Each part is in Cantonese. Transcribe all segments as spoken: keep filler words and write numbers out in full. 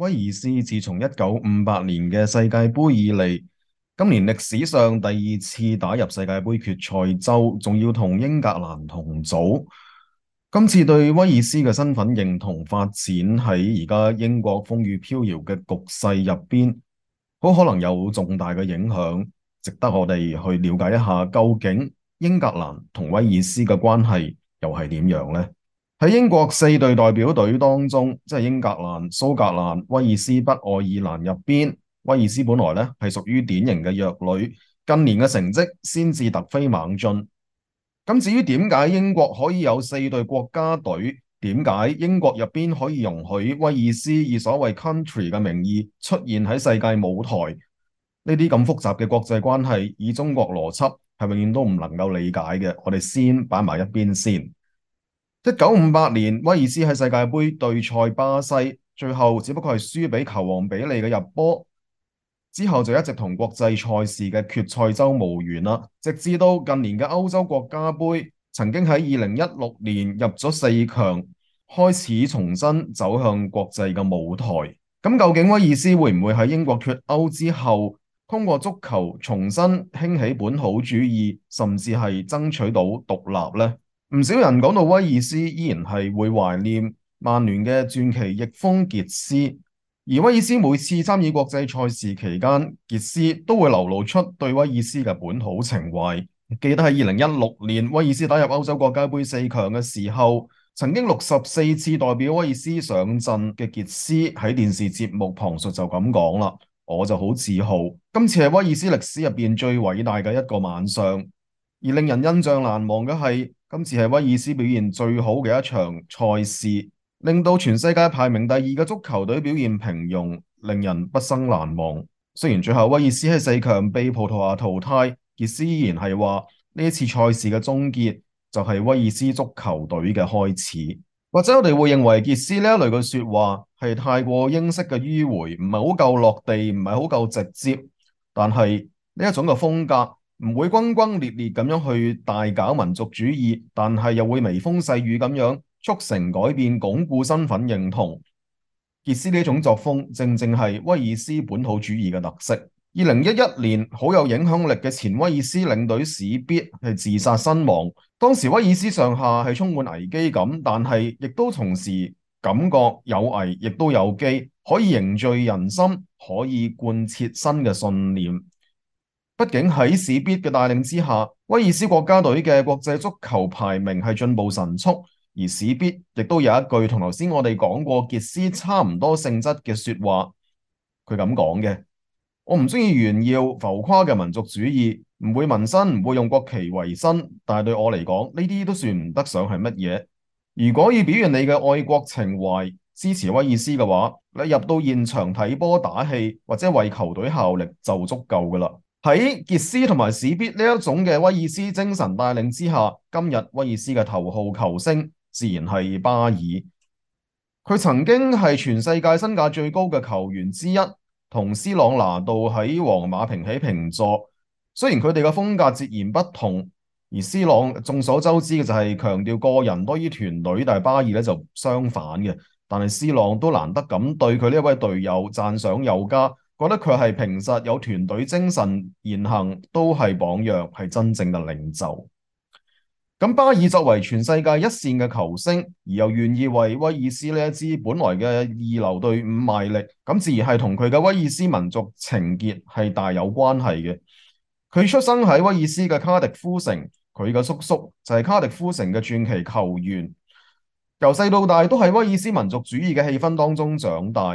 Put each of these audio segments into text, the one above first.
威爾斯自從一九五八年嘅世界盃以嚟，今年歷史上第二次打入世界盃決賽周，仲要同英格蘭同組。今次對威爾斯嘅身份認同發展喺而家英國風雨飄搖嘅局勢入邊，好可能有重大嘅影響，值得我哋去了解一下究竟英格蘭同威爾斯嘅關係又係點樣呢？喺英國四隊代表隊當中，即係英格蘭、蘇格蘭、威爾斯、北愛爾蘭入邊，威爾斯本來咧係屬於典型嘅弱旅，近年嘅成績先至突飛猛進。咁至於點解英國可以有四隊國家隊？點解英國入邊可以容許威爾斯以所謂 country 嘅名義出現喺世界舞台？呢啲咁複雜嘅國際關係，以中國邏輯係永遠都唔能夠理解嘅。我哋先擺埋一邊先。一九五八年，威爾斯喺世界盃對賽巴西，最後只不過係輸俾球王比利嘅入波。之後就一直同國際賽事嘅決賽周無緣啦，直至到近年嘅歐洲國家盃，曾經喺二零一六年入咗四強，開始重新走向國際嘅舞台。咁究竟威爾斯會唔會喺英國脫歐之後，通過足球重新興起本土主義，甚至係爭取到獨立呢？唔少人講到威爾斯，依然係會懷念曼聯嘅傳奇翼鋒傑斯，而威爾斯每次參與國際賽事期間，傑斯都會流露出對威爾斯嘅本土情懷。記得喺二零一六年威爾斯打入歐洲國家盃四強嘅時候，曾經六十四次代表威爾斯上陣嘅傑斯喺電視節目旁述就咁講啦，我就好自豪，今次係威爾斯歷史入邊最偉大嘅一個晚上。而令人印象難忘嘅係，今次係威爾斯表現最好嘅一場賽事，令到全世界排名第二嘅足球隊表現平庸，令人畢生難忘。雖然最後威爾斯喺四強被葡萄牙淘汰，傑斯依然係話呢一次賽事嘅終結就係威爾斯足球隊嘅開始。或者我哋會認為傑斯呢一類嘅說話係太過英式嘅迂迴，唔係好夠落地，唔係好夠直接，但係呢一種嘅風格，唔會轟轟烈烈咁樣去大搞民族主義，但係又會微風細雨咁樣促成改變，鞏固身份認同。傑斯呢種作風，正正係威爾斯本土主義嘅特色。二零一一年，好有影響力嘅前威爾斯領隊史必係自殺身亡。當時威爾斯上下係充滿危機感，但係亦都同時感覺有危亦都有機，可以凝聚人心，可以貫徹新嘅信念。畢竟喺史必嘅帶領之下，威爾斯國家隊嘅國際足球排名係進步神速，而史必亦都有一句同頭先我哋講過傑斯差唔多性質嘅說話，佢咁講嘅：我唔中意炫耀浮誇嘅民族主義，唔會紋身，唔會用國旗為生，但係對我嚟講，呢啲都算唔得上係乜嘢。如果要表現你嘅愛國情懷，支持威爾斯嘅話，你入到現場睇波打氣或者為球隊效力就足夠噶啦。喺傑斯同埋史必呢一種嘅威爾斯精神帶領之下，今日威爾斯嘅頭號球星自然係巴爾。佢曾經係全世界身價最高嘅球員之一，同斯朗拿度喺皇馬平起平坐。雖然佢哋嘅風格截然不同，而斯朗眾所周知嘅就係強調個人多於團隊，但係巴爾咧就相反嘅。但係斯朗都難得咁對佢呢一位隊友讚賞有加，覺得佢係平實有團隊精神，言行都係榜樣，係真正嘅領袖。咁巴爾作為全世界一線嘅球星，而又願意為威爾斯呢一支本來嘅二流隊伍賣力，咁自然係同佢嘅威爾斯民族情結係大有關係嘅。佢出生喺威爾斯嘅卡迪夫城，佢嘅叔叔就係卡迪夫城嘅傳奇球員，由細到大都喺威爾斯民族主義嘅氣氛當中長大。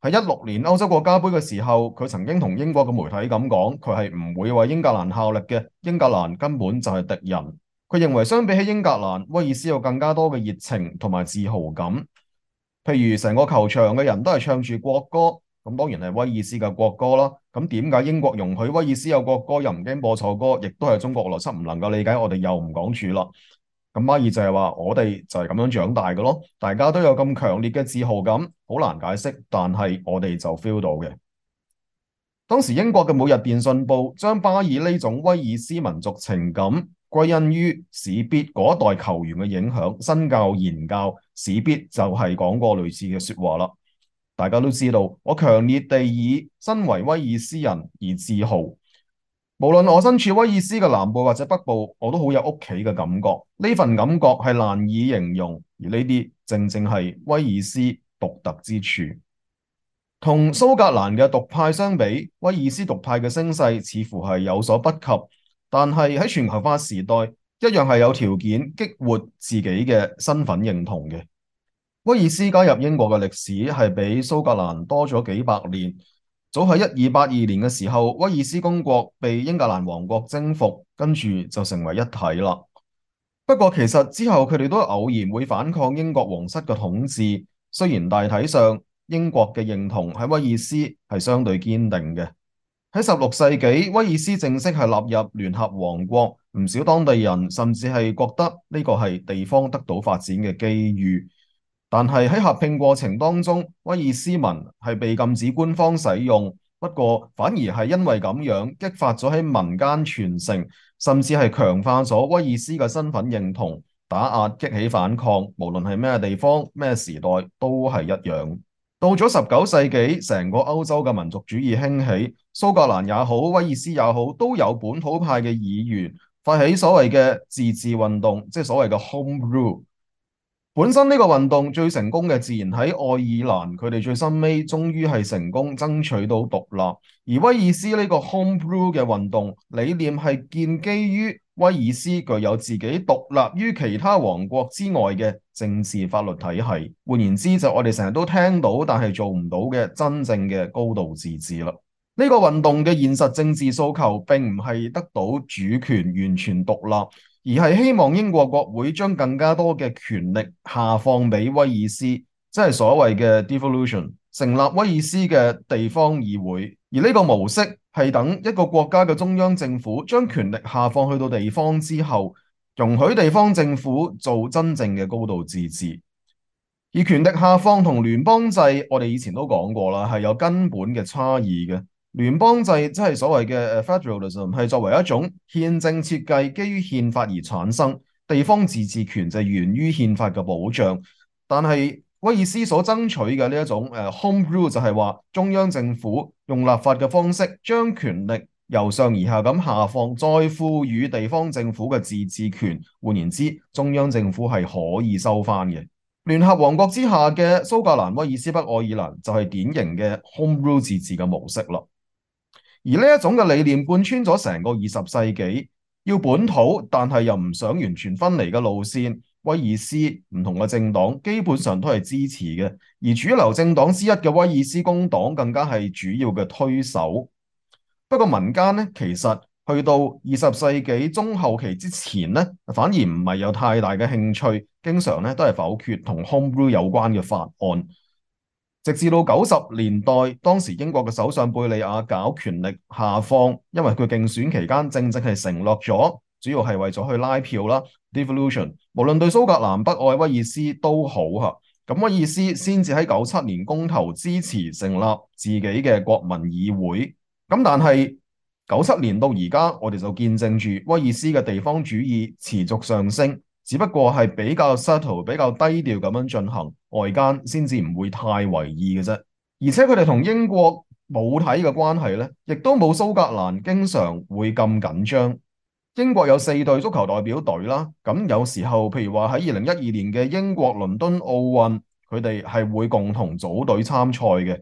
喺一六年歐洲國家盃嘅時候，佢曾經同英國嘅媒體咁講，佢係唔會為英格蘭效力嘅，英格蘭根本就係敵人。佢認為相比起英格蘭，威爾斯有更加多嘅熱情同埋自豪感。譬如成個球場嘅人都係唱住國歌，咁當然係威爾斯嘅國歌啦。咁點解英國容許威爾斯有國歌又唔驚播錯歌，亦都係中國邏輯唔能夠理解，我哋又唔講住啦。咁巴爾就係話，我哋就係咁樣長大嘅咯，大家都有咁強烈嘅自豪感，好難解釋，但係我哋就 feel 到嘅。當時英國嘅每日電訊報將巴爾呢種威爾斯民族情感歸因於史必嗰一代球員嘅影響，身教言教，史必就係講過類似嘅說話啦。大家都知道，我強烈地以身為威爾斯人而自豪。無論我身處威爾斯嘅南部或者北部，我都好有屋企嘅感覺。呢份感覺係難以形容，而呢啲正正係威爾斯獨特之處。同蘇格蘭嘅獨派相比，威爾斯獨派嘅聲勢似乎係有所不及，但係喺全球化時代，一樣係有條件激活自己嘅身份認同嘅。威爾斯加入英國嘅歷史係比蘇格蘭多咗幾百年。早喺一二八二年嘅時候，威爾斯公國被英格蘭王國征服，跟住就成為一體啦。不過其實之後佢哋都偶然會反抗英國皇室嘅統治，雖然大體上英國嘅認同喺威爾斯係相對堅定嘅。喺十六世紀，威爾斯正式係納入聯合王國，唔少當地人甚至係覺得呢個係地方得到發展嘅機遇。但係喺合併過程當中，威爾斯文係被禁止官方使用，不過反而係因為咁樣激發咗喺民間傳承，甚至係強化咗威爾斯嘅身份認同，打壓激起反抗，無論係咩地方咩時代都係一樣。到咗十九世紀，成個歐洲嘅民族主義興起，蘇格蘭也好，威爾斯也好，都有本土派嘅議員發起所謂嘅自治運動，即係所謂嘅 Home Rule。本身呢個運動最成功嘅自然喺愛爾蘭，佢哋最深尾終於係成功爭取到獨立。而威爾斯呢個 Home Rule 嘅運動理念係建基於威爾斯具有自己獨立於其他王國之外嘅政治法律體系。換言之，就我哋成日都聽到但係做唔到嘅真正嘅高度自治啦。呢個運動嘅現實政治訴求並唔係得到主權完全獨立，而係希望英國國會將更加多嘅權力下放俾威爾斯，即係所謂嘅 devolution， 成立威爾斯嘅地方議會。而呢個模式係等一個國家嘅中央政府將權力下放去到地方之後，容許地方政府做真正嘅高度自治。而權力下放同聯邦制，我哋以前都講過啦，係有根本嘅差異嘅。聯邦制即係所謂嘅 federalism， 係作為一種憲政設計，基於憲法而產生。地方自治權就源於憲法嘅保障。但係威爾斯所爭取嘅呢一種誒 home rule 就係話中央政府用立法嘅方式將權力由上而下咁下放，再賦予地方政府嘅自治權。換言之，中央政府係可以收翻嘅。聯合王國之下嘅蘇格蘭、威爾斯、北愛爾蘭就係典型嘅 home rule 自治嘅模式啦。而呢一種嘅理念貫穿咗成個二十世紀，要本土但係又唔想完全分離嘅路線，威爾斯唔同嘅政黨基本上都係支持嘅，而主流政黨之一嘅威爾斯工黨更加係主要嘅推手。不過民間咧，其實去到二十世紀中後期之前咧，反而唔係有太大嘅興趣，經常咧都係否決同 Home Rule 有關嘅法案。直至到九十年代，當時英國嘅首相貝利亞搞權力下放，因為佢競選期間正正係承諾咗，主要係為咗去拉票啦。Devolution 無論對蘇格蘭、北愛、威爾斯都好嚇，咁威爾斯先至喺九七年公投支持成立自己嘅國民議會。咁但係九七年到而家，我哋就見證住威爾斯嘅地方主義持續上升。只不過係比較 subtle、比較低調咁樣進行，外間先至唔會太為意嘅啫。而且佢哋同英國母體嘅關係咧，亦都冇蘇格蘭經常會咁緊張。英國有四隊足球代表隊啦，咁有時候譬如話喺二零一二年嘅英國倫敦奧運，佢哋係會共同組隊參賽嘅。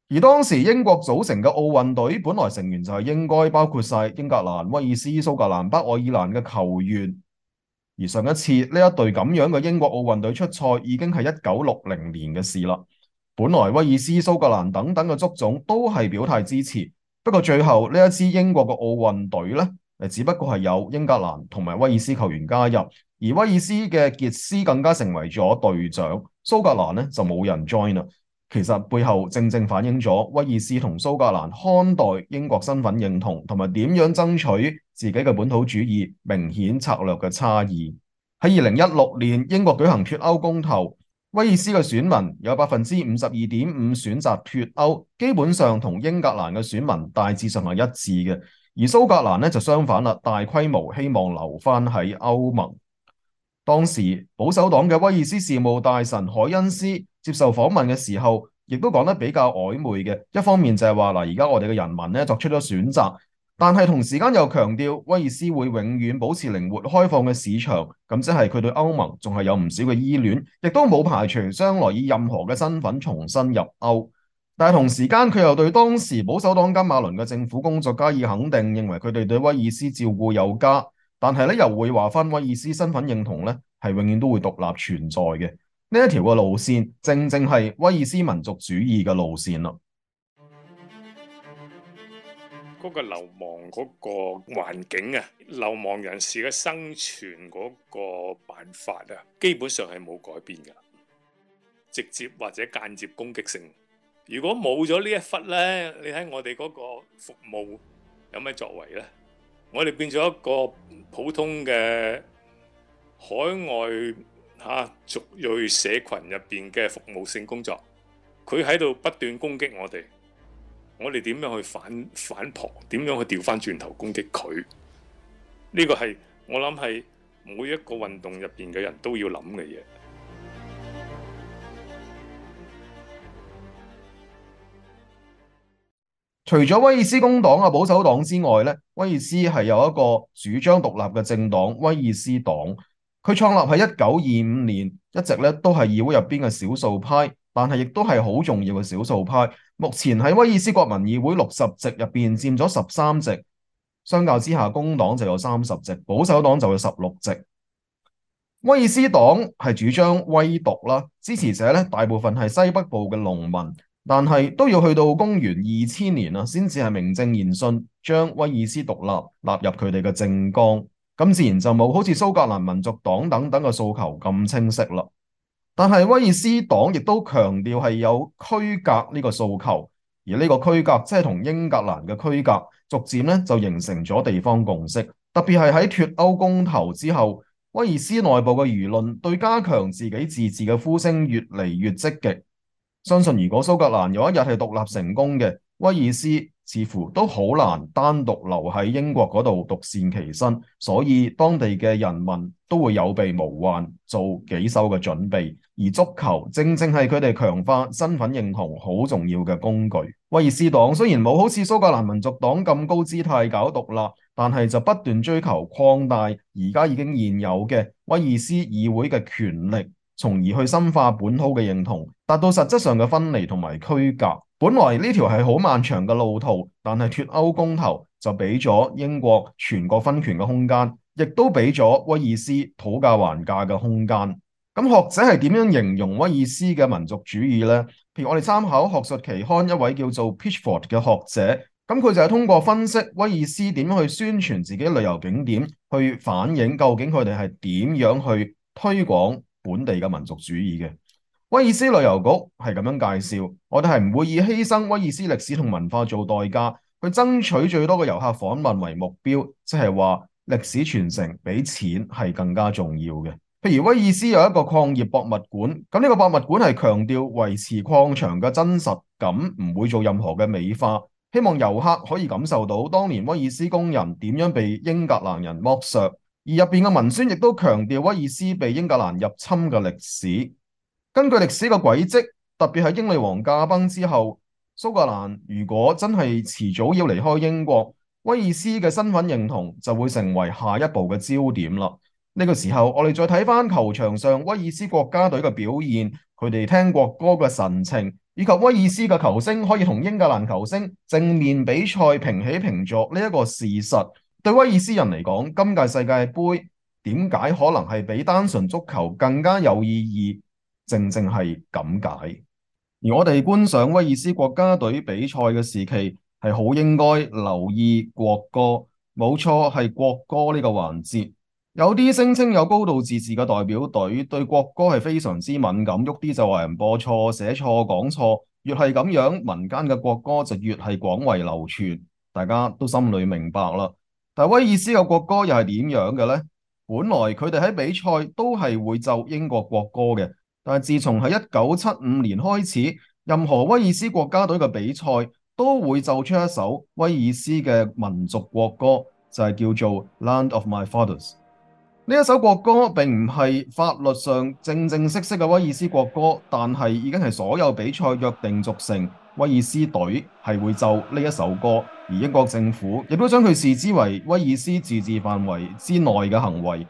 而當時英國組成嘅奧運隊，本來成員就係應該包括晒英格蘭、威爾斯、蘇格蘭、北愛爾蘭嘅球員。而上一次呢一隊咁樣嘅英國奧運隊出賽已經係一九六零年嘅事啦。本來威爾斯、蘇格蘭等等嘅足總都係表態支持，不過最後呢一支英國嘅奧運隊呢，誒只不過係有英格蘭同埋威爾斯球員加入，而威爾斯嘅傑斯更加成為咗隊長，蘇格蘭呢就冇人 join 啦。其實背後正正反映咗威爾斯同蘇格蘭看待英國身份認同同埋點樣爭取自己嘅本土主義明顯策略嘅差異。喺二零一六年英國舉行脫歐公投，威爾斯嘅選民有百分之五十二點五選擇脫歐，基本上同英格蘭嘅選民大致上係一致嘅。而蘇格蘭呢就相反啦，大規模希望留翻喺歐盟。當時保守黨嘅威爾斯事務大臣海恩斯接受訪問嘅時候，亦都講得比較曖昧嘅。一方面就係話嗱，而家我哋嘅人民咧作出咗選擇，但係同時間又強調威爾斯會永遠保持靈活開放嘅市場，咁即係佢對歐盟仲係有唔少嘅依戀，亦都冇排除將來以任何嘅身份重新入歐。但係同時間佢又對當時保守黨金馬倫嘅政府工作加以肯定，認為佢哋對威爾斯照顧有加，但係咧又會話翻威爾斯身份認同咧係永遠都會獨立存在嘅。呢一條嘅路線正正係威爾斯民族主義嘅路線啦。嗰個流亡嗰個環境啊，流亡人士嘅生存嗰個辦法啊，基本上係冇改變㗎，直接或者間接攻擊性。如果冇咗呢一忽呢，你睇我哋嗰個服務有咩作為呢？我哋變咗一個普通嘅海外嚇族裔社群入邊嘅服務性工作，佢喺度不斷攻擊我哋。我哋點樣去反反撲？點樣去調翻轉頭攻擊佢？呢個係我諗係每一個運動入邊嘅人都要諗嘅嘢。除咗威爾斯工黨啊、保守黨之外咧，威爾斯係有一個主張獨立嘅政黨威爾斯黨。佢創立喺一九二五年，一直咧都係議會入邊嘅少數派，但係亦都係好重要嘅少數派。目前喺威爾斯國民議會六十席入邊佔咗十三席，相較之下工黨就有三十席，保守黨就有十六席。威爾斯黨係主張威獨啦，支持者咧大部分係西北部嘅農民，但係都要去到公元二千年啊，先至係名正言順將威爾斯獨立納入佢哋嘅政綱。咁自然就冇好似蘇格蘭民族黨等等嘅訴求咁清晰啦。但係威爾斯黨亦都強調係有區隔呢個訴求，而呢個區隔即係同英格蘭嘅區隔，逐漸咧就形成咗地方共識。特別係喺脫歐公投之後，威爾斯內部嘅輿論對加強自己自治嘅呼聲越嚟越積極。相信如果蘇格蘭有一日係獨立成功嘅，威爾斯似乎都好難單獨留喺英國嗰度獨善其身，所以當地嘅人民都會有備無患，做幾手嘅準備。而足球正正係佢哋強化身份認同好重要嘅工具。威爾斯黨雖然冇好似蘇格蘭民族黨咁高姿態搞獨立，但係就不斷追求擴大而家已經現有嘅威爾斯議會嘅權力，從而去深化本土嘅認同，達到實質上嘅分離同埋區隔。本來呢條係好漫長嘅路途，但係脫歐公投就俾咗英國全國分權嘅空間，亦都俾咗威爾斯討價還價嘅空間。咁學者係點樣形容威爾斯嘅民族主義呢？譬如我哋參考學術期刊一位叫做 Pitchford 嘅學者，咁佢就係通過分析威爾斯點樣去宣傳自己旅遊景點，去反映究竟佢哋係點樣去推廣本地嘅民族主義嘅。威爾斯旅遊局係咁樣介紹，我哋係唔會以犧牲威爾斯歷史同文化做代價，去爭取最多嘅遊客訪問為目標，即係話歷史傳承比錢係更加重要嘅。譬如威爾斯有一個礦業博物館，咁呢個博物館係強調維持礦場嘅真實感，唔會做任何嘅美化，希望遊客可以感受到當年威爾斯工人點樣被英格蘭人剝削，而入邊嘅文宣亦都強調威爾斯被英格蘭入侵嘅歷史。根據歷史嘅軌跡，特別係英女王駕崩之後，蘇格蘭如果真係遲早要離開英國，威爾斯嘅身份認同就會成為下一步嘅焦點啦。呢個時候，我哋再睇翻球場上威爾斯國家隊嘅表現，佢哋聽國歌嘅神情，以及威爾斯嘅球星可以同英格蘭球星正面比賽平起平坐呢一個事實，對威爾斯人嚟講，今屆世界盃點解可能係比單純足球更加有意義？正正係咁解。而我哋觀賞威爾斯國家隊比賽嘅時期，係好應該留意國歌。冇錯，係國歌呢個環節。有啲聲稱有高度自治嘅代表隊對國歌係非常之敏感，喐啲就話人播錯、寫錯、講錯，越係咁樣，民間嘅國歌就越係廣為流傳，大家都心裏明白啦。但係威爾斯嘅國歌又係點樣嘅呢？本來佢哋喺比賽都係會奏英國國歌嘅。但係自從喺一九七五年開始，任何威爾斯國家隊嘅比賽都會奏出一首威爾斯嘅民族國歌，就係叫做《Land of My Fathers》。呢一首國歌並唔係法律上正正式式嘅威爾斯國歌，但係已經係所有比賽約定俗成，威爾斯隊係會奏呢一首歌，而英國政府亦都將佢視之為威爾斯自治範圍之內嘅行為。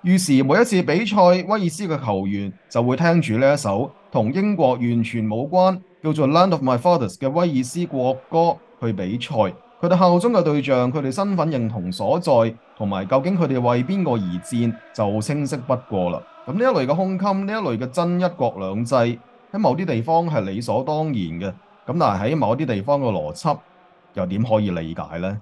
於是每一次比賽，威爾斯嘅球員就會聽住呢一首同英國完全冇關，叫做《Land of My Fathers》嘅威爾斯國歌去比賽。佢哋效忠嘅對象，佢哋身份認同所在，同埋究竟佢哋為邊個而戰，就清晰不過啦。咁呢一類嘅胸襟，呢一類嘅真一國兩制，喺某啲地方係理所當然嘅。咁但係喺某啲地方嘅邏輯，又點可以理解呢？